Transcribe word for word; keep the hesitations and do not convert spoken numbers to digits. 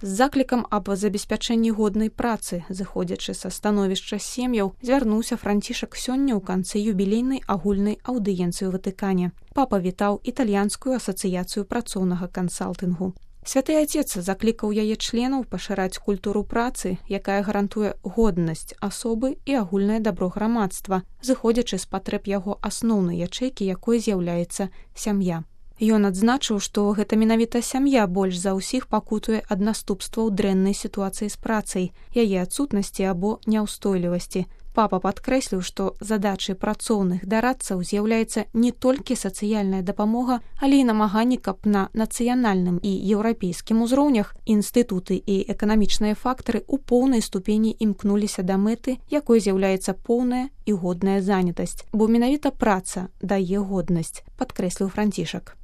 З заклікам аб забеспячэнні годнай працы, зыходзячы са становішча сем'яў, звярнуўся Францішак сёння ў канцы юбілейнай агульнай аўдыенцыі ў Ватыкане. Папа вітаў італьянскую асацыяцыю працоўнага кансалтынгу. Святы Отец заклікаў яе членаў пашыраць культуру працы, якая гарантуе годнасць асобы і агульнае дабро грамадства, зыходзячы з патрэб яго асноўнай ячэйкі, якой з'яўляецца сям'я. Ён адзначыў, што гэта менавіта сям'я больш за ўсіх пакутуе ад наступстваў дрэннай сітуацыі з працай, яе адсутнасці або няўстойлівасці. Папа падкрэсліў, што задачай працоўных дарадцаў з'яўляецца не толькі сацыяльная дапамога, але і намаганні, каб на нацыянальным і еўрапейскім узроўнях інстытуты і эканамічныя фактары ў поўнай ступені імкнуліся да мэты, якой з'яўляецца поўная і годная занятасць, бо менавіта праца дае годнасць, падкрэсліў Францішак.